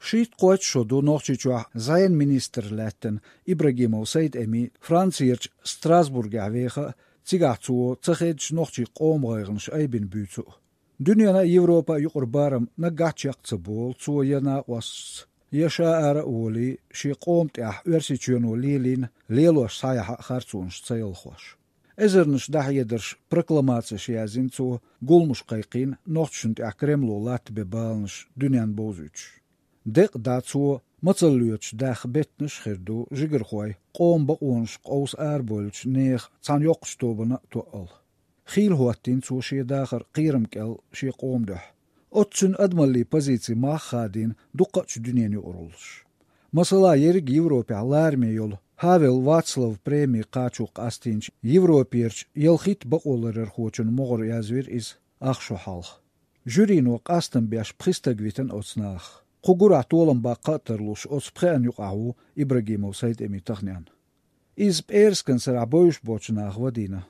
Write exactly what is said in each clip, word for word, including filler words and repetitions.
Шийтта-кхойтта шо ду Нохчийчохь зӀенан министр лаьттина Ибрагимов Сайд-Эми Францерчу Страсбургехь веха а, цигахь цо ца хеддачу нохчийн къоман гӀайгӀанаш айбина буьйцу а. Дуьненна а, Европа а юкъара барам наггахь чекх ца болу цо я накъосташца, я ша ара а волий, шен къоман тӀехь Оьрсийчоьно лелийна лелош схьаяхьа а харцонаш ца ялхош. Эзарнаш дӀахьедарш, прокламацеш яздина цо, гуламаш кхайкхийна, нохчашна тӀехь Кремло латта бен баланаш дуьненна бовзуьйтуш. Декъа дӀа цо мацалла лоьцуш даха беттанаш а хир ду жигархойн, къоман бакъонаш къовса арабевллачу нехан цхьана йоккхачу тобанна а тоъал. Хийла хӀоттийна цо шен дахар кхерам кӀел шен къоман дуьхьа. Оццу цуьнан адамаллин позици мах а хадийна дуккхачу дуьненан юкъараллаш. Масала, ерриг Европехь лараме йолу Хавел Вацлав преми кхачо къастийначу Европерчу ялхитта бакъоларъярхочун могӀара язвира иза ах шо хьалха. Жюрино къастам беш пхи стаг витина оцу нахах. Кху гурахь толам баккха а тарлуш, оцу пхеана юкъахь ву Ибрагимов Сайд-Эми таханенна. Иза пӀераскан сарахь бовзуш боцчу наха вадийна.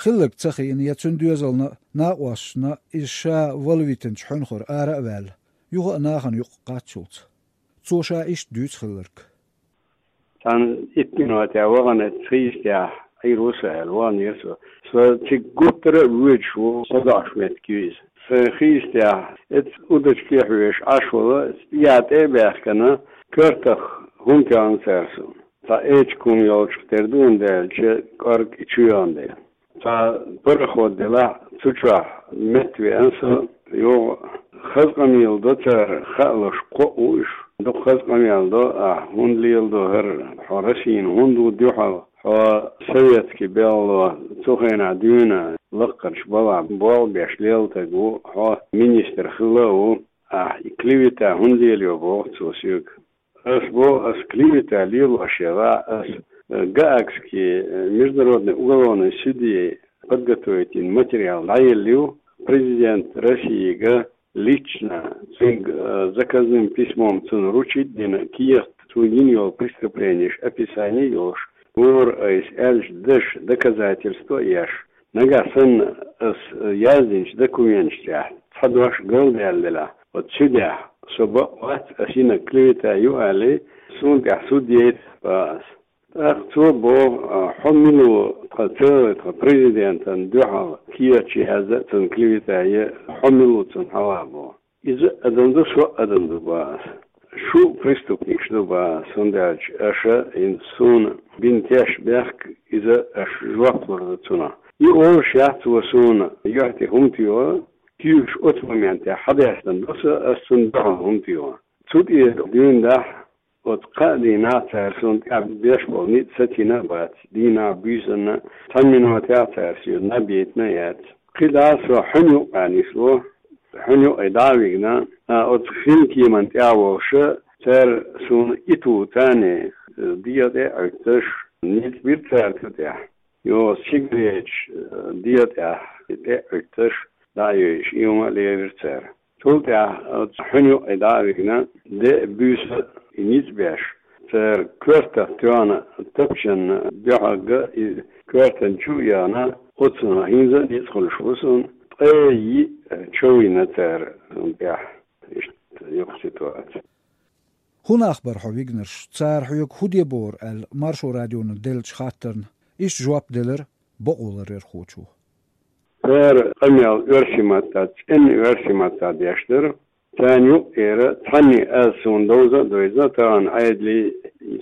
Хилларг ца хиъна я цуьнан доьзална а, накъосташна а иза ша валавитинчу хьуьнхара ара а ваьлла, юха а нахана юкъа кхаччалц. Цо ша иштта дуьйцу хилларг. Цхьана итт минотехь вахана, эцу хийсатехь Ӏийр ву со аьлла, ваханера со. Со цига гуттара а воьдуш ву, со доӀуш меттиг ю иза. Сайн хийсатехь эцу удочке хьоьжуш Ӏаш волу, я тӀе а баьхкина, коьртах хӀума тоьхна цара суна. Цхьа эчиг хӀума йолчух тера ду, хӀунда аьлча кӀорга и чу йогӀна дела. Цхьа пароход делахь, цу чохь метта веана со, юха хаза къамел до цара, хаалуш кхоъ ву уьш. Дукха хаза къамел до, ахь хӀунда леладо хӀара, хьо Россина хӀунда ву дуьхьал, хьо советский белхало цу хенахь дуьйна лаккхарчу балхахь болх беш лелла стаг ву, хьо министр хилла а ву, ахь и клевета хӀунда лелайо боху цо соьга. Ас боху, ас клевета лелош яра, ас, э, Гаагский, э, международный уголовный суде подготовить йина материал дӀаеллийна президент Россига лично, цуьнга, э, заказным письмом цунна вручить дина, кехат цо йина йолу преступленеш описание йолуш, вора айса аьллачу дашан доказательство а еш. Нагахь санна ас, э, яздинчу документаш тӀехь цхьа дош галдаьлла делахь, оцу судехь со бакъ вац, ас йинарг клевета ю аьлла, суна тӀехь суд яйта боху ас. ТӀаккха цо боху, а, хьо мила ву тхан церан, тхан президентан дуьхьал кехаташ яздан а, цунна клевета ян а, хьо мила ву цунна хьалха боху. Иза а адам ду, со а адам ду боху ас. Шу преступникаш ду боху ас, хӀунда аьлча аша хӀинца суна бина тешнабехк, иза аша жоп лур ду цунах. И олуш яц цо суна юьхь тӀе хӀума тоьхна, куьйгаш оцу моментехь хьадаьстина ду сан, ас цунна дуьхьал хӀума тоьхна. Цу тӀера дуьйна дахь, оцу кхаа дийнахь цара суна тӀехь беш болу ницкъ сацийна а бац, дийнахь, буьйсанна, цхьана минотехь цара соьга наб яйтина а яц. КхидӀа со хьуьнан юккъехь нисло, хьуьнан юккъе дӀа а вигна, а, оцу хин кеман тӀехь волуша, цара суна итт ву царна, э, дегӀа тӀе а Ӏуьттуш, ницкъ бира цара цу тӀехь. Йо, сигареташ, э, дегӀа тӀехь тӀе а Ӏуьттуш, дӀа а йойуш, и хӀума а лерира цара. Цул тӀаьхьа оцу хьуьнан юккъе дӀа а вигна, де а, буьйса а и ницкъ беш, цара коьртах тоьхна тапчанна дуьхьалга и коьртан чу а яхна, оццунах хӀинца а ницкъ хуьлуш ву суна, ткъе йиъ чов йина цара суна тӀехь. Иштта юха ситуаци. ХӀун нах бара хьо вигнарш, цара хьоьга хӀун де бохура аьлла, Маршо радиона деллачу хаттарна иштта жоп делира бакъоларъярхочо. Цара къамел оьрсийн маттахь, цӀена оьрсийн маттахь деш дара. Царна юкъера цхьанне аз суна довза а довза, тахана Ӏедале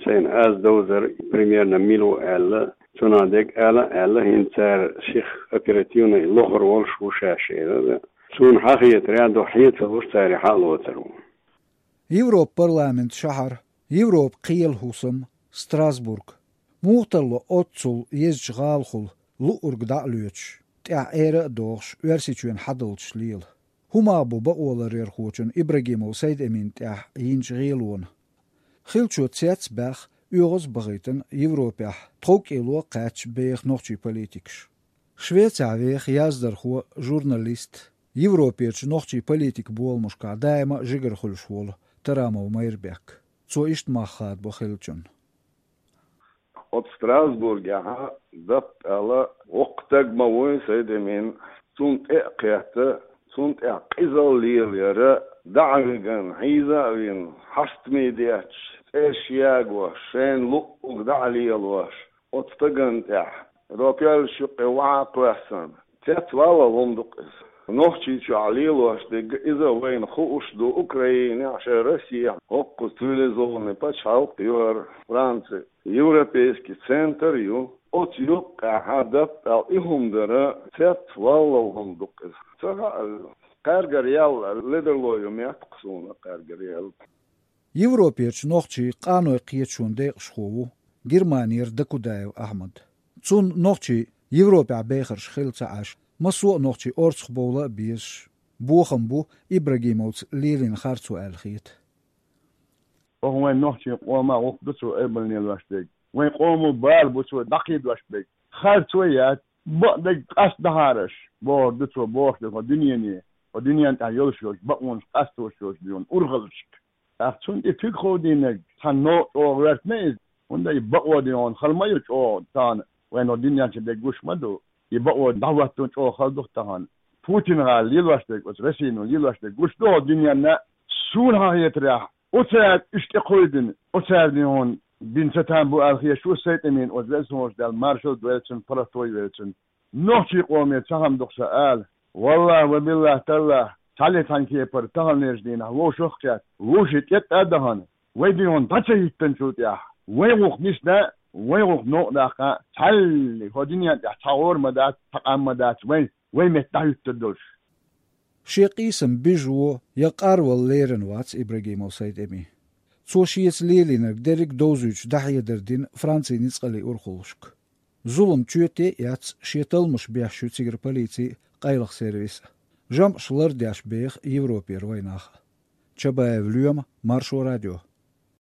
сайна аз довзар примерно мила ву аьлла, цунах дерг ала а аьлла, хӀинца цара сиха оперативно лохур волуш ву шаьш эр. Суна хьахетарехь, дукха хье ца луш, цара и хьа а лоцур ву. Европа парламентан шахьар, Европан кхелан хӀусам, Страсбург. Муха тарло оццул езачу гӀалахула луург дӀа а лоьцуш, тӀехь эра а дохуш, Оьрсийчоьнан хьадалчаш лела? ХӀун мах бу бакъоларъярхочун Ибрагимов Сайд-Эмина тӀехь йинчу гӀелонан? Хиллачо цец а баьхна, оьгӀаз а бахийтина Европехь тховкӀело а кхаьчча беха нохчийн политикаш. Швецехь веха яздархо, журналист, Европерчу нохчийн политикан боламашкахь даима а жигара хуьлуш волу Тарамов Майрбек. Цо иштта мах хадабо хиллачунна. Оцу Страсбургехь дапп аьлла воккха стаг ма вуй Сайд-Эмин, цунна тӀе а кхетта, цунна тӀехь къизалла лелаяра дӀа а виган, хьийза а вина, хьастамий детташ, цӀераш ягош, шайна луъург дӀа а лелош, оцу стагана тӀехь, ропеллаш юккъе ваха а кхоьссина, цецваллал хӀума ду-кх иза. Нохчийчохь лелош дерг иза вайна хууш ду, Украинехь, шайн Россехь, хӀокхуза цивилизованный пачхьалкх ю хӀара Франци, европейский центр ю. Оцу юккъехь даппал и хӀума дара, цецваллал хӀума ду-кх иза. Ца хаьа, кхаьргара ял ледарло ю меттах суна, кхаьргара ял. Европерчу нохчийн къанойн кхеташонан декъашхо ву Германера Дакудаев Ахьмад. Цунна нохчийн Европехь бехарш хилла ца Ӏаш, массо а нохчи орцахбовла а безаш, бохам бу Ибрагимовца лелийна харцо аьлла хета. Оха вайн нохчийн къоман гӀуллакх ду цо айбалла лелош дерг. Вайн къомо бала бу цо дӀакхийдош берг. Харцо яц, бакъдерг къастадахьара аш, бохург ду цо, бохуш дерг хӀокху дуьнене, хӀокху дуьнен тӀехь йолуш йолчу бакъонаш къастош йолчу дуьйна урхаллашка. ТӀаккха цунна тӀе куьг ховдийнарг цхьана новкъа чӀогӀа гӀоьртина иза, хӀунда и бакъо дуьйна хала ма ю чӀогӀа тахана, вайна хӀокху дуьнен чу дерг гуш ма ду. И бакъо дӀахӀоттун чӀогӀа хала ду-кх тахана. Путин-гӀала лелош дерг, оцу Россино лелош дерг гуш ду хӀокху дуьненна, суна хьан хетарехь, оцара уьш тӀекховдийна, оцара дуьйна бина ца там бу аьлла хезаш ву Сайтамин, оцу веза хьоьжуш Дала маршалла дойла цунна, паргӀато йойла цунна. Нохчийн къоме цхьа хӀума ду-кх сан ала. Валлахь ва биллахь таллахь, цхьалле цхьана кепара таханлерчу дийнахь вовшах а кхетта, вовшийн тӀетта а дахана, вай дуьйна дӀа ца хӀиттинчул тӀаьхьа, вайн гӀуллакх нисдан, вайн гӀуллакх новкъа даккха, цхьаллиг хӀокху дуьнен тӀехь цхьа гӀора ма дац, цхьа къам ма дац вайн, вайн метта дӀахӀуьттур долуш. Шен къийсам бижо я къарвала лерина вац Ибрагимов Сайтами. Цо шеца лелийнарг дерриг а довзуьйтуш дӀахьедар дина Францин ницкъаллин урхаллашка. Зулам чоьте а эцна, шен талламаш бехаш ю цигара полици а, къайлаха сервис а. ЖамӀаш лардеш беха Европера вайнах а. Чабаев Лоьма, Маршо радио.